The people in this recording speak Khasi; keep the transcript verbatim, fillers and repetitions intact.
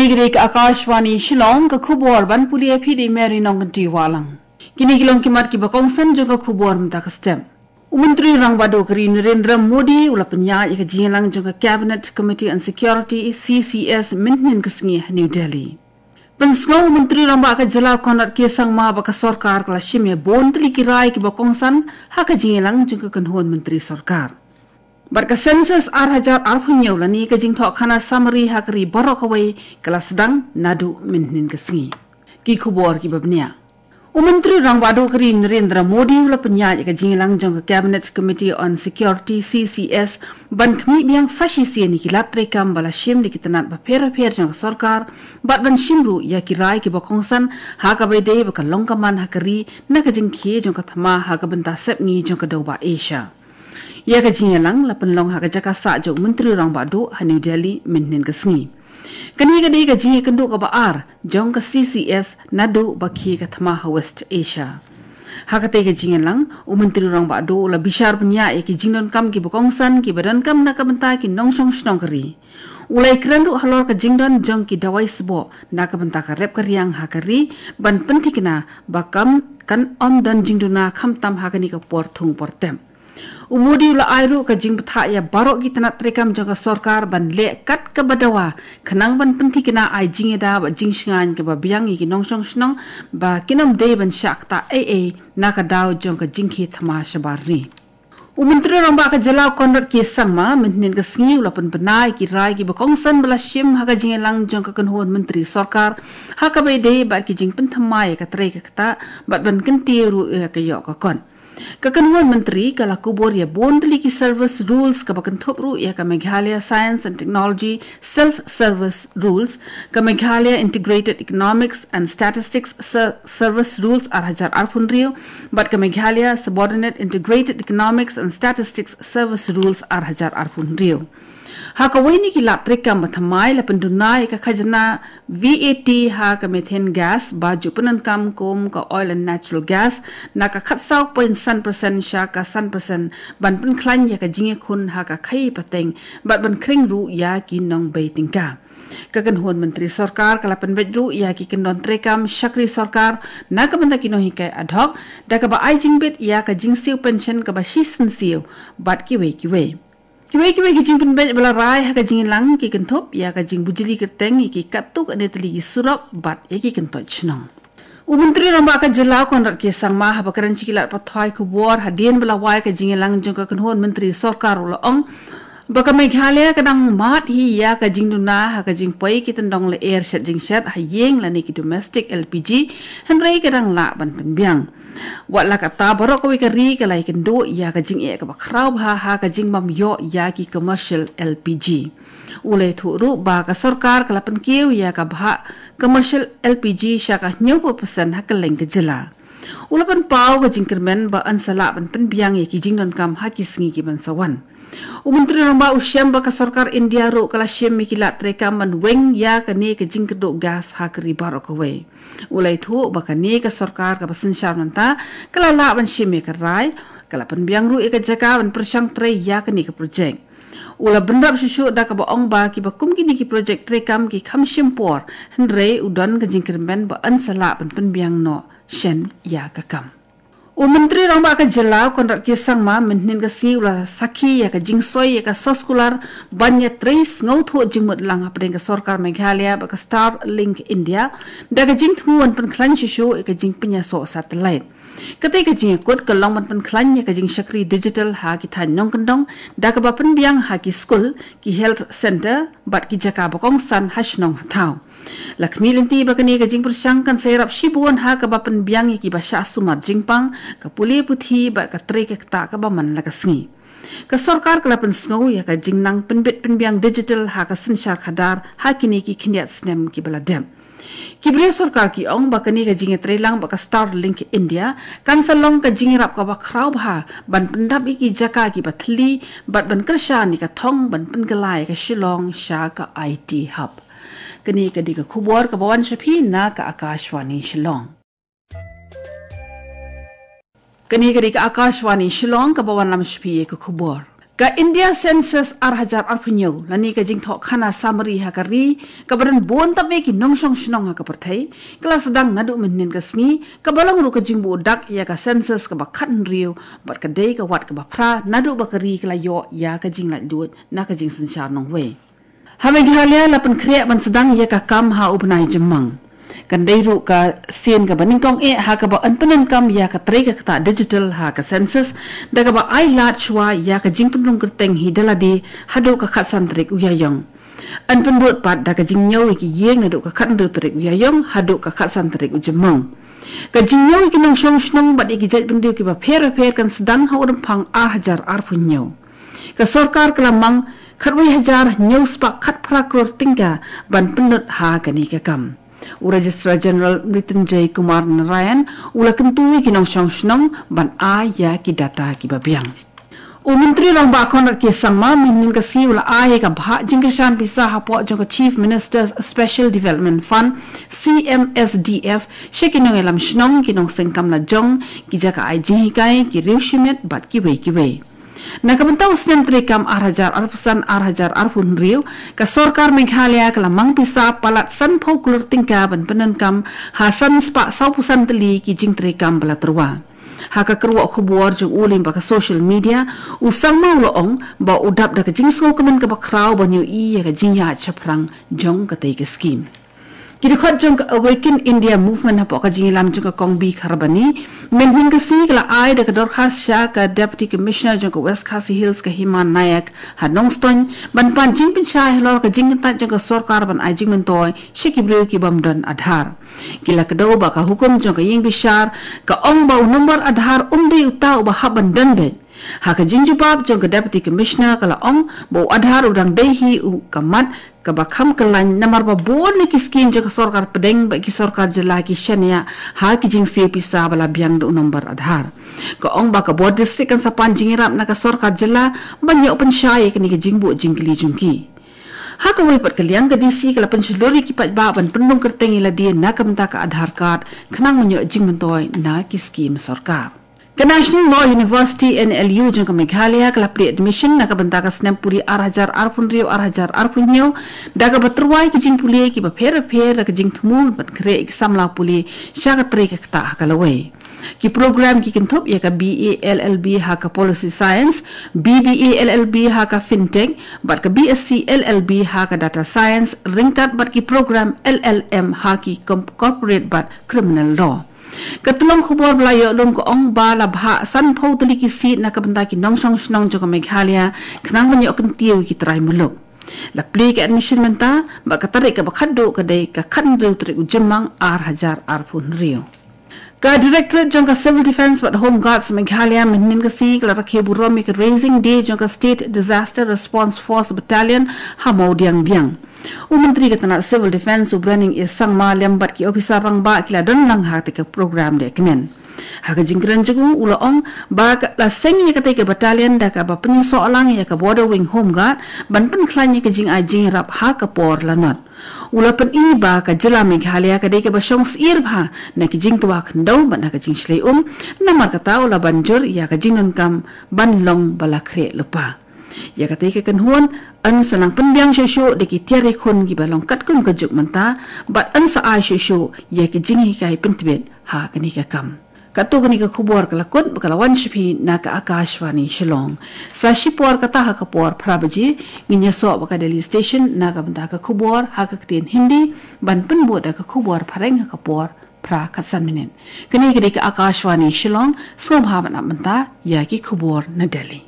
Kane ka dei ka Akashvani Shillong, ka khubor ban pule ïa phi da i Mary Nongkynrih Wahlang. Kine ki long ki mat kiba kongsan jong ka khubor mynta ka step. U Myntri Rangbah Duh ka ri Narendra Modi u la pynïaid ïa ka jingïalang jong ka Cabinet Committee on Security, C C S, mynhynnin ka sngi ha New Delhi. Pynsngew u Myntri Rangbah ka jylla Conrad K Sangma ba ka sorkar ka la shim ïa bun tylli ki rai kiba kongsan ha ka jingïalang jong ka kynhun myntri sorkar. Bad ka census ar hajar arphew hynñiew lane ka jingthoh khana samari ha ka ri baroh kawei ka la sdang naduh mynhynnin ka sngi. Ki khubor kiba bniah. U Myntri Rangbah Duh ka ri Narendra Modi u la pynïaid ïa ka jingïalang jong ka Cabinet Committee on Security, C C S, ban khmih biang sa shisien ïa ki lad treikam ba la shim da ki tnat bapher bapher jong ka sorkar, bad ban shim ruh ïa ki rai kiba kongsan ha kaba ïadei bad ka long ka man ha ka ri na ka jingkhie jong ka thma ha ka bynta sepngi jong ka dewbah Asia. Ïa ka jingïalang la pynlong ha ka jaka sah jong u Myntri Rangbah Duh ha New Delhi mynhynnin ka sngi. Kane ka dei ka jingïakynduh kaba ar jong ka C C S naduh ba khie ka thma ha West Asia. Ha katei ka jingïalang, u Myntri Rangbah Duh u la bishar bniah ïa ki jingdonkam kiba kongsan kiba donkam na ka bynta ki nongshong shnong ka ri. U la ïakren ruh halor ka jingdon jong ki dawai sboh na ka bynta ka rep ka riang ha ka ri, ban pynthikna ba kam kan ym don jingduna khamtam ha kane ka por thung por tem. U Modi u la ai ruh ka jingbthah ïa baroh ki tnat treikam jong ka sorkar ban leh kat kaba dawa, khnang ban pynthikna ai jingïada bad jingshngaiñ kaba biang ïa ki nongshong shnong ba kin ym dei ban shah ktah ei ei na ka daw jong ka jingkhie thma shabar ri. U Myntri Rangbah ka jylla Conrad K Sangma mynhynnin ka sngi u la pynbna ïa ki rai kiba kongsan ba la shim ha ka jingïalang jong ka kynhun myntri sorkar ha kaba ïadei bad ki jingpynthymmai ïa ka trei ka ktah bad ban kyntiew ruh ïa ka ïoh ka kot. Ka kynhun myntri ka la kubur ïa bun tylli ki service rules kaba kynthup ruh ïa ka Meghalaya Science and Technology Self Service Rules, ka Meghalaya Integrated Economics and Statistics Ser- Service Rules ar hajar arphew hynriew, bad ka Meghalaya Subordinate Integrated Economics and Statistics Service Rules ar hajar arphew hynriew. Ha kawei na ki lad treikam ba thymmai la pynduna ïa ka khajna V A T ha ka methane gas ba ju pyndonkam kum ka oil and natural gas na ka khatsaw point san percent sha ka san percent ban pynkhlaiñ ïa ka jingïakhun ha ka khaïi pateng bad ban khring ruh ïa ki nongbei tyngka. Ka kynhun myntri sorkar ka la pynbeit ruh ïa ki kyndon treikam shakri sorkar na ka bynta ki nonghikai ad hoc da kaba ai jingbit ïa ka jingsiew pension kaba shisien siew bad kiwei kiwei. Kiwei kiwei ki jingpynbeit ba la rai ha ka jingïalang ki kynthup ïa ka jingbujli kyrteng ïa ki katto katne tylli ki surok bad ïa ki kyntoit shnong. U Myntri Rangbah ka jylla Conrad K Sangma haba kren sha ki lad pathai khubor hadien ba la wai ka jingïalang jong ka kynhun myntri sorkar u la ong ba ka Meghalaya ka dang mad hi ïa ka jingduna ha ka jingpoi ki tyndong lyer shet jingshet ha ïing lane ki domestic L P G, hynrei ka dang lah ban pynbiang. Wat la katta, baroh kawei ka ri ka la ïakynduh ïa ka jingeh kaba khraw bha ha ka jingbym ïoh ïa ki commercial L P G. U la ïathuh ruh ba ka sorkar ka la pynkiew ïa ka bhah commercial L P G sha ka hynñiewphew percent ha kylleng ka jylla. U la pynpaw ka jingkyrmen ba yn sa lah ban pynbiang ïa ki jingdonkam ha ki sngi ki ban sa wan. U Myntri Rangbah u shem ba ka sorkar India ruh ka la shim ïa ki lad treikam ban weng ïa kane ka jingkyrduh gas ha ka ri baroh kawei. U la ïathuh ba kane ka sorkar kaba synshar mynta ka la lah ban shim ïa ka rai, ka la pynbiang ruh ïa ka jaka ban pyrshang trei ïa kane ka projek. U la bynrap shuh shuh da kaba ong ba kiba kum kine ki projek treikam ki kham shim por, hynrei u don ka jingkyrmen ba yn sa lah ban pynbiang noh shen ïa ka kam. U Myntri Rangbah ka jylla Conrad K Sangma mynhynnin ka sngi u la sakhi ïa ka jingsoi ïa ka soskular ban ïatrei sngewthuh jingmut lang hapdeng ka sorkar Meghalaya bad ka Starlink India da ka jingthmu ban pynkhlaiñ shuh shuh ïa ka jingpynïasoh satellite. Katei ka jingïakut ka long ban pynkhlaiñ ïa ka jingshakri digital ha ki thaiñ nongkyndong da kaba pynbiang ha ki skul, ki health centre bad ki jaka ba kongsan ha shnong ha thaw. La khmih lynti ba kane ka jingpyrshang kan sa ïarap shibun ha kaba pynbiang ïa kiba shah sumar jingpang, ka pule puthi bad ka trei ka ktah kaba man la ka sngi. Ka sorkar ka la pynsngew ïa ka jingnang pynbit pynbiang digital ha ka synshar khadar ha kine ki khyndiat snem kiba la dep. Ki briew sorkar ki ong ba kane ka jingïatreilang bad ka Starlink India kan sa long ka jingïarap kaba khraw bha ban pyndap ïa ki jaka kiba thylli bad ban kyrshan ïa ka thong ban pynkylla ïa ka Shillong sha ka I T hub. Kane ka dei ka khubor kaba wan sha phi na ka Akashvani Shillong. Kane ka dei ka Akashvani Shillong kaba wanlam sha phi ïa ka khubor. Ka India Census ar hajar arphew hynñiew, lane ka jingthoh khana summary ha ka ri, kaba don bun tam eh ki nongshong shnong ha ka pyrthei, ka la sdang naduh mynhynnin ka sngi, kaba long ruh ka jingbuh dak ïa ka census kaba khathynriew, bad ka dei ka wat kaba phra, naduh ba ka ri ka la ïoh ïa ka jinglaitluid na ka jingsynshar nongwei. Ha Meghalaya la pynkhreh ban sdang ïa ka kam ha u bnai Jymmang. Kan dei ruh ka sien kaba nyngkong eh ha kaba yn pyndonkam ïa ka trei ka ktah digital ha ka census, da kaba ai lad shuwa ïa ka jingpynrung kyrteng hi da lade haduh ka khatsan tarik u Ïaïong. Yn pynbud pat da ka jingñiew ïa ki ïing naduh ka khathynriew tarik u Ïaïong haduh ka khatsan tarik u Jymmang. Ka jingñiew ïa ki nongshong shnong bad ïa ki jaitbynriew kiba pher bapher kan sdang ha u Rymphang ar hajar arphew hynñiew. Ka sorkar ka la mang khatwei hajar hynñiew spah khatphra klur tyngka ban pynlut ha kane ka kam. U Registrar General Mrityunjay Kumar Narayan u la kyntu ïa ki nongshong shnong ban ai ïa ki data kiba biang. U Myntri Rangbah Conrad K Sangma mynhynnin ka sngi u la ai ïa ka bhah jingkyrshan pisa hapoh jong ka Chief Minister's Special Development Fund, C M S D F, sha ki nongïalam shnong, ki nongseng kam lajong, ki jaka ai jinghikai, ki riew shimet bad kiwei kiwei. Na ka bynta u snem treikam ar hajar arphew san ar hajar arphew hynriew, ka sorkar Meghalaya ka la mang pisa palat sanphew klur tyngka ban pyndonkam ha san spah sawphew san tylli ki jingtreikam ba la tyrwa. Ha ka kyrwoh khubor jong u lyngba ka social media, u Sangma u la ong ba u dap da ka jingsngewkmen kaba khraw ban ïohi ïa ka jingïaid shaphrang jong katei ka skim. Ki dkhot jong ka Awaken India Movement hapoh ka jingïalam jong ka Kong B Kharbani mynhynnin ka sngi ka la ai da ka dorkhas sha ka Deputy Commissioner jong ka West Khasi Hills, ka Hima Nayak, ha Nongstoiñ, ban pan jingpynshai halor ka jingkyntait jong ka sorkar ban ai jingmyntoi sha ki briew ki bym don Aadhaar. Ki la kdew ba ka hukum jong ka ïing bishar ka ong ba u nombar Aadhaar um dei uta uba hap ban don beit. Ha ka jingjubab jong ka Deputy Commissioner ka la ong ba u Aadhaar u dang dei hi u ka mat kaba kham kyllain namar ba bun na ki skim jong ka sorkar pdeng bad ki sorkar jylla ki shaniah ha ki jingsiew pisa ba la biang da u nombar Aadhaar. Ka ong ba ka bor district kan sa pan jingïarap na ka sorkar jylla ban ïoh pynshai ïa kane ka jingbuh jingkylli jong ki. Ha kawei pat ka liang, ka D C ka la pynshlur ïa ki paidbah ban pynrung kyrteng ïa lade na ka bynta ka Aadhaar card khnang ban ïoh jingmyntoi na ki skim sorkar. Ka National Law University, N L U, jong ka Meghalaya ka la plie admission na ka bynta ka snem pule ar hajar arphew hynriew ar hajar arphew hynñiew da kaba tyrwa ïa ki jingpule kiba pher bapher da ka jingthmu ban khreh ïa ki samla pule sha ka trei ka ktah ha ka lawei. Ki program ki kynthup ïa ka B A L L B ha ka Policy Science, B B A L L B ha ka Fintech, bad ka B Sc L L B ha ka Data Science, ryngkat bad ki program L L M ha ki com-, Corporate bad Criminal Law. Ka tyllong khubor ba la ïoh lum ka ong ba la bhah sanphew tylli ki seat na ka bynta ki nongshong shnong jong ka Meghalaya khnang ban ïoh kyntiew ïa ki trai muluk. La plie ka admission mynta, bad ka tarik kaba khatduh ka dei ka khathynriew tarik u Jymmang ar hajar arphew hynriew. Ka Directorate jong ka Civil Defence bad Home Guards Meghalaya mynhynnin ka sngi ka la rakhe burom ïa ka Raising Day jong ka State Disaster Response Force Battalion ha Mawdiangdiang. U Myntri ka tnat Civil Defence, u Browning A Sangma, lem bad ki ophisar rangbah ki la don lang ha katei ka program de kmen. Ha ka jingkren jong u, u la ong ba ka la seng ïa katei ka battalion da kaba pynïasoh lang ïa ka Border Wing Home Guard ban pynkhlaiñ ïa ka jingai jingïarap ha ka por lanot. U la pyni ba ka jylla Meghalaya ka dei kaba shong syier bha na ki jingtwa khyndew bad na ka jingshlei um, namar kata u la ban jur ïa ka jingdonkam ban long ba la khreh lypa. Ïa katei ka kynhun yn sa nang pynbiang shuh shuh da ki tiar ïakhun kiba long katkum ka juk mynta, bad yn sa ai shuh shuh ïa ki jinghikai pyntbit ha kane ka kam. Katto katne ka khubor ka la kut bad ka la wan sha phi na ka Akashvani Shillong. Sa shipor kata ha ka por phra baje ngin ïasoh bad ka Delhi Station na ka bynta ka khubor ha ka ktien Hindi, ban pynbud da ka khubor phareng ha ka por phra khatsan minit. Kane ka dei ka Akashvani Shillong, sngewbha ban ap mynta ïa ki khubor na Delhi.